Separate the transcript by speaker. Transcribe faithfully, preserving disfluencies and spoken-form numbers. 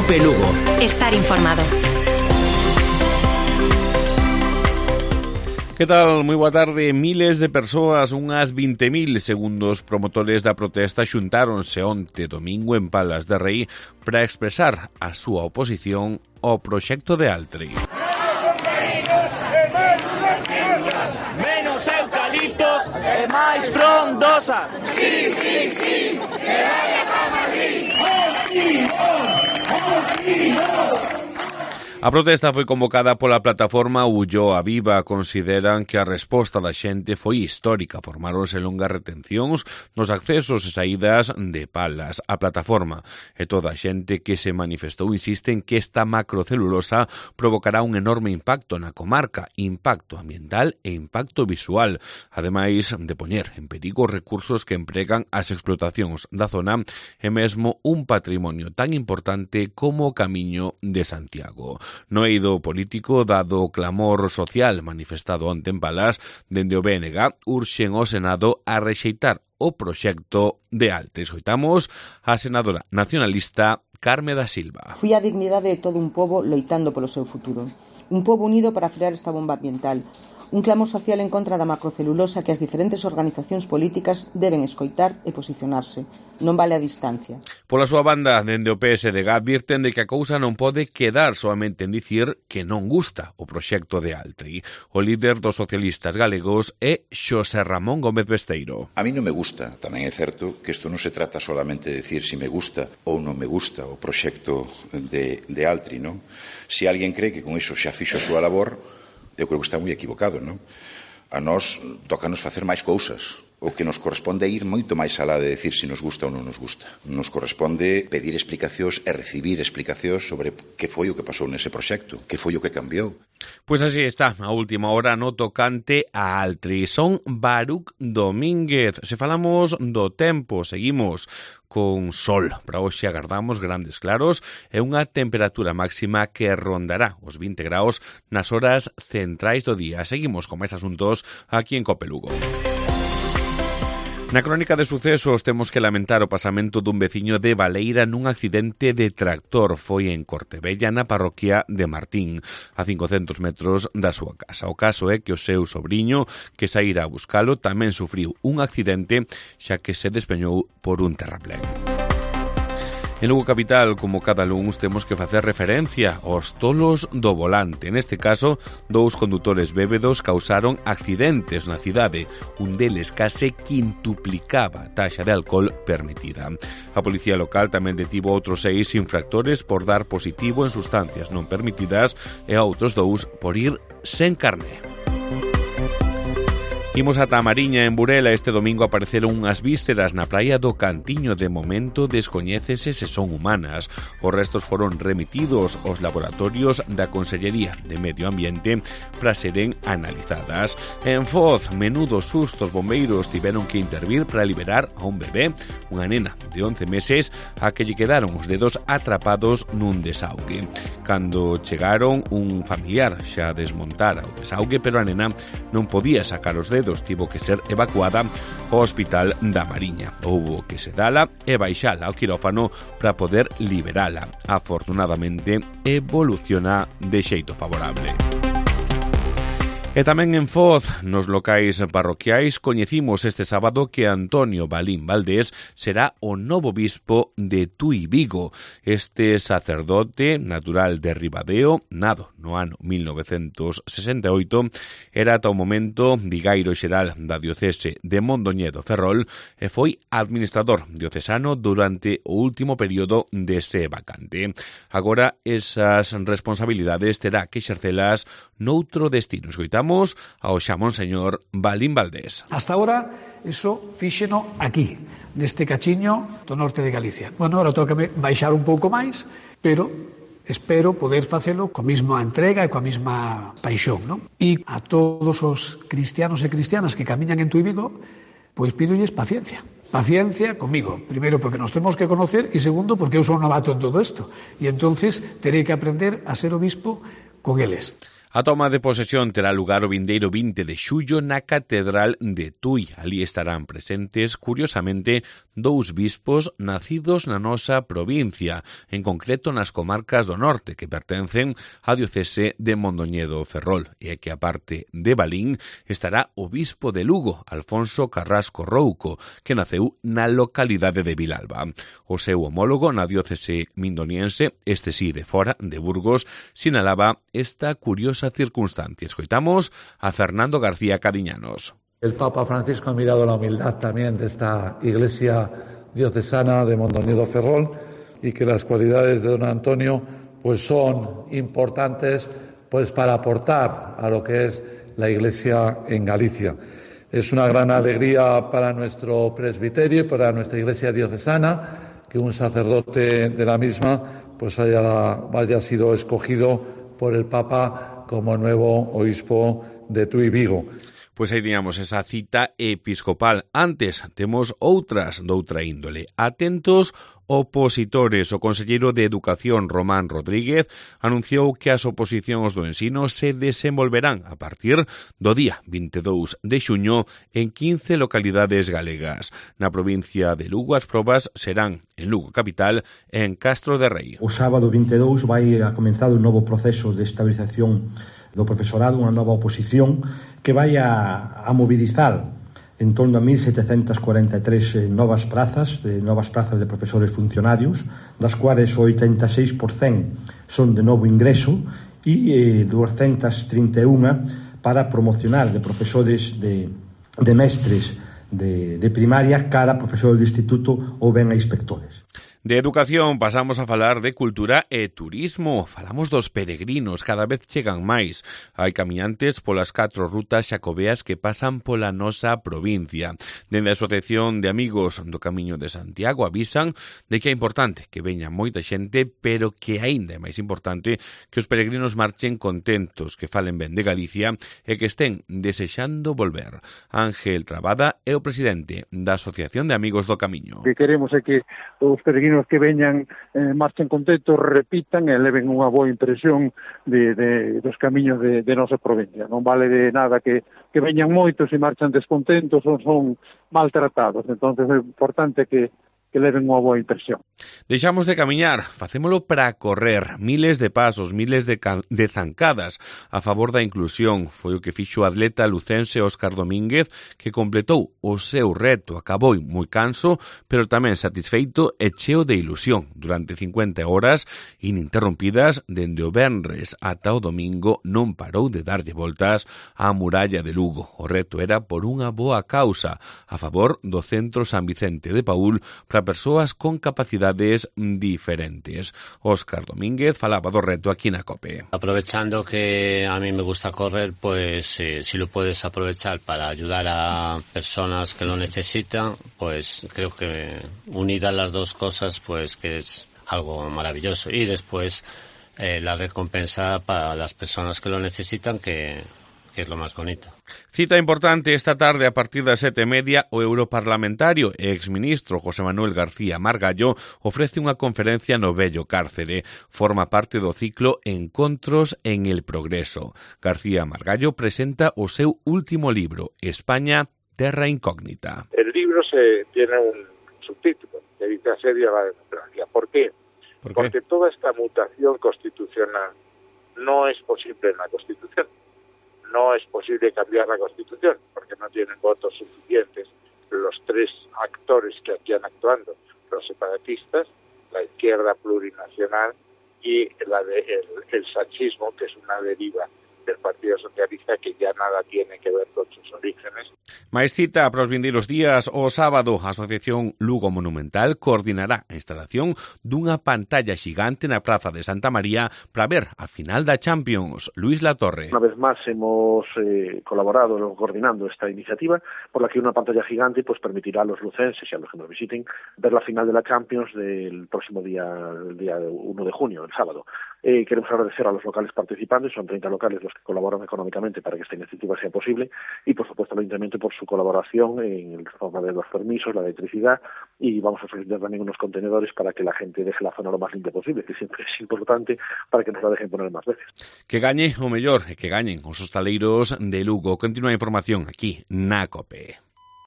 Speaker 1: Cope Lugo.
Speaker 2: Estar informado.
Speaker 3: Que tal? Moi boa tarde. Miles de persoas, unhas vinte mil, segundo os promotores da protesta, xuntáronse onte domingo en Palas de Rei para expresar a súa oposición ao proxecto de Altri.
Speaker 4: Menos eucaliptos e máis frondosas.
Speaker 5: Sí, sí, sí, que vaya para Madrid. Aquí no, aquí no.
Speaker 3: A protesta foi convocada pola plataforma Ulloa Viva. Consideran que a resposta da xente foi histórica. Formáronse longas retencións nos accesos e saídas de Palas. A plataforma e toda a xente que se manifestou insisten que esta macrocelulosa provocará un enorme impacto na comarca, impacto ambiental e impacto visual, ademais de poñer en perigo os recursos que empregan as explotacións da zona e mesmo un patrimonio tan importante como o Camiño de Santiago. No eido político, dado o clamor social manifestado onte en Palas, dende o B N G urxen ao Senado a rexeitar o proxecto de Altri. Escoitamos a senadora nacionalista Carme da Silva.
Speaker 6: Fui a dignidade de todo un pobo loitando polo seu futuro. Un pobo unido para frear esta bomba ambiental. Un clamor social en contra da macrocelulosa que as diferentes organizacións políticas deben escoitar e posicionarse. Non vale a distancia.
Speaker 3: Pola súa banda, dende o P S D G advirten de que a cousa non pode quedar soamente en dicir que non gusta o proxecto de Altri. O líder dos socialistas galegos é Xosé Ramón Gómez Besteiro.
Speaker 7: A mí non me gusta, tamén é certo que isto non se trata solamente de decir si me gusta ou non me gusta o proxecto de, de Altri, non? Se alguén cree que con iso xa fixo a súa labor, eu creo que está moi equivocado, non? A nós tócanos facer máis cousas. O que nos corresponde é ir moito máis alá de decir se nos gusta ou non nos gusta. Nos corresponde pedir explicacións e recibir explicacións sobre que foi o que pasou nese proxecto, que foi o que cambiou.
Speaker 3: Pois así está, a última hora no tocante a Altri. Son Baruc Domínguez. Se falamos do tempo, seguimos con sol. Para hoxe agardamos grandes claros e unha temperatura máxima que rondará os vinte graus nas horas centrais do día. Seguimos con máis asuntos aquí en Cope Lugo. Na crónica de sucesos temos que lamentar o pasamento dun veciño de Baleira nun accidente de tractor. Foi en Cortebella, na parroquia de Martín, a cincocentos metros da súa casa. O caso é que o seu sobriño, que saíra a buscalo, tamén sufriu un accidente xa que se despeñou por un terraplén. En Lugo Capital, como cada luns, temos que facer referencia aos tolos do volante. Neste caso, dous condutores bébedos causaron accidentes na cidade. Un deles case quintuplicaba a taxa de alcohol permitida. A policía local tamén detivo outros seis infractores por dar positivo en sustancias non permitidas e a outros dous por ir sen carné. Imos ata a Mariña, en Burela. Este domingo apareceron unhas vísceras na praia do Cantiño. De momento descoñécese se son humanas. Os restos foron remitidos aos laboratorios da Consellería de Medio Ambiente para seren analizadas. En Foz, menudo susto, os bombeiros tiveron que intervir para liberar a un bebé, unha nena de once meses, a que lle quedaron os dedos atrapados nun desaugue. Cando chegaron, un familiar xa desmontara o desaugue, pero a nena non podía sacar os dedos. Tivo que ser evacuada ao Hospital da Mariña. Houbo que sedala e baixala ao quirófano para poder liberala. Afortunadamente, evoluciona de xeito favorable. E tamén en Foz, nos locais parroquiais, coñecimos este sábado que Antonio Balín Valdés será o novo bispo de Tui Vigo. Este sacerdote natural de Ribadeo, nado no ano mil novecentos sesenta e oito, era ata o momento vigairo xeral da diocese de Mondoñedo Ferrol e foi administrador diocesano durante o último período dese vacante. Agora, esas responsabilidades terá que exercelas noutro destino. Escoitamos ao xa Monseñor Balín Valdés.
Speaker 8: Hasta ahora, eso fíxeno aquí, neste cachiño do norte de Galicia. Bueno, ahora tócame baixar un pouco máis, pero espero poder facelo coa mesma entrega e coa mesma paixón, non? E a todos os cristianos e cristianas que camiñan en Tui Vigo, pois pídolles paciencia. Paciencia comigo, primeiro porque nos temos que conocer e segundo porque eu son novato en todo isto. E entonces terei que aprender a ser obispo con eles.
Speaker 3: A toma de posesión terá lugar o vindeiro vinte de xullo na Catedral de Tui. Ali estarán presentes, curiosamente, dous bispos nacidos na nosa provincia, en concreto nas comarcas do norte, que pertencen á diocese de Mondoñedo Ferrol, e que, aparte de Balín, estará o bispo de Lugo, Alfonso Carrasco Rouco, que naceu na localidade de Vilalba. O seu homólogo na diocese mindoniense, este sí de fora, de Burgos, sinalaba esta curiosa circunstancia. Escoitamos a Fernando García Cadiñanos.
Speaker 1: El Papa Francisco ha mirado la humildad también de esta iglesia diocesana de Mondoñedo Ferrol y que las cualidades de don Antonio pues son importantes pues para aportar a lo que es la iglesia en Galicia. Es una gran alegría para nuestro presbiterio y para nuestra iglesia diocesana que un sacerdote de la misma pues haya, haya sido escogido por el Papa como nuevo obispo de Tui Vigo.
Speaker 3: Pois aí teníamos esa cita episcopal. Antes temos outras doutra índole. Atentos opositores. O conselleiro de Educación, Román Rodríguez, anunciou que as oposicións do ensino se desenvolverán a partir do día vinte e dous de xuño en quince localidades galegas. Na provincia de Lugo as probas serán en Lugo capital e en Castro de Rei.
Speaker 2: O sábado vinte e dous vai a comenzar un novo proceso de estabilización do profesorado, unha nova oposición que vai a, a mobilizar en torno a mil setecentas cuarenta e tres eh, novas prazas, de novas prazas de profesores funcionarios, das cuales o oitenta e seis por cento son de novo ingreso e eh, doscientas trinta e unha para promocionar de profesores de, de mestres de, de primaria cara a profesores de instituto ou ben a inspectores.
Speaker 3: De educación pasamos a falar de cultura e turismo. Falamos dos peregrinos, cada vez chegan máis. Hai camiñantes polas catro rutas xacobeas que pasan pola nosa provincia. Dende a Asociación de Amigos do Camiño de Santiago avisan de que é importante que veña moita xente, pero que aínda é máis importante que os peregrinos marchen contentos, que falen ben de Galicia e que estén desexando volver. Ángel Trabada é o presidente da Asociación de Amigos do Camiño.
Speaker 9: Que queremos é que os peregrinos que veñan eh, marchen contentos, repitan e leven unha boa impresión de, de, dos camiños de, de nosa provincia. Non vale de nada que, que veñan moitos e marchan descontentos ou son maltratados. Entón é importante que que leven unha boa impresión.
Speaker 3: Deixamos de camiñar, facémolo para correr. Miles de pasos, miles de, de zancadas a favor da inclusión. Foi o que fixo o atleta lucense Óscar Domínguez, que completou o seu reto. Acabou moi canso, pero tamén satisfeito e cheo de ilusión. Durante cincuenta horas ininterrompidas, dende o venres ata o domingo, non parou de darlle voltas á muralla de Lugo. O reto era por unha boa causa, a favor do Centro San Vicente de Paúl, para persoas con capacidades diferentes. Óscar Domínguez falaba do reto aquí na COPE.
Speaker 10: Aprovechando que a mí me gusta correr, pues eh, si lo puedes aprovechar para ayudar a personas que lo necesitan, pues creo que unidas las dos cosas, pues que es algo maravilloso. Y después eh, la recompensa para las personas que lo necesitan, que que es lo más bonito.
Speaker 3: Cita importante esta tarde a partir das sete e media, o europarlamentario e exministro José Manuel García Margallo ofrece unha conferencia no vello cárcere. Forma parte do ciclo Encontros en el Progreso. García Margallo presenta o seu último libro, España, Terra Incógnita.
Speaker 11: El libro se tiene un subtítulo que dice Asedio a la democracia. ¿Por qué? ¿Por qué? Porque toda esta mutación constitucional no es posible en la Constitución. No es posible cambiar la Constitución porque no tienen votos suficientes los tres actores que aquí han actuando, los separatistas, la izquierda plurinacional y la de, el, el sanchismo, que es una deriva del Partido Socialista que ya nada tiene que ver con sus orígenes.
Speaker 3: Mais cita para os vindeiros días. O sábado, a Asociación Lugo Monumental coordinará a instalación dunha pantalla xigante na Praza de Santa María para ver a final da Champions. Luis Latorre.
Speaker 12: Una vez más hemos eh, colaborado coordinando esta iniciativa por la que una pantalla gigante pues permitirá a los lucenses y a los que nos visiten ver la final de la Champions del próximo día, el día uno de junio, el sábado. Eh, queremos agradecer a los locales participantes, son treinta locales los que colaboran económicamente para que esta iniciativa sea posible, y por supuesto el Ayuntamiento por su colaboración en la forma de los permisos, la electricidad, y vamos a solicitar también unos contenedores para que la gente deje la zona lo más limpia posible, que siempre es importante para que nos la dejen poner más veces.
Speaker 3: Que gañe o mellor, que gañen os hostaleiros de Lugo. Continúa a información aquí na COPE.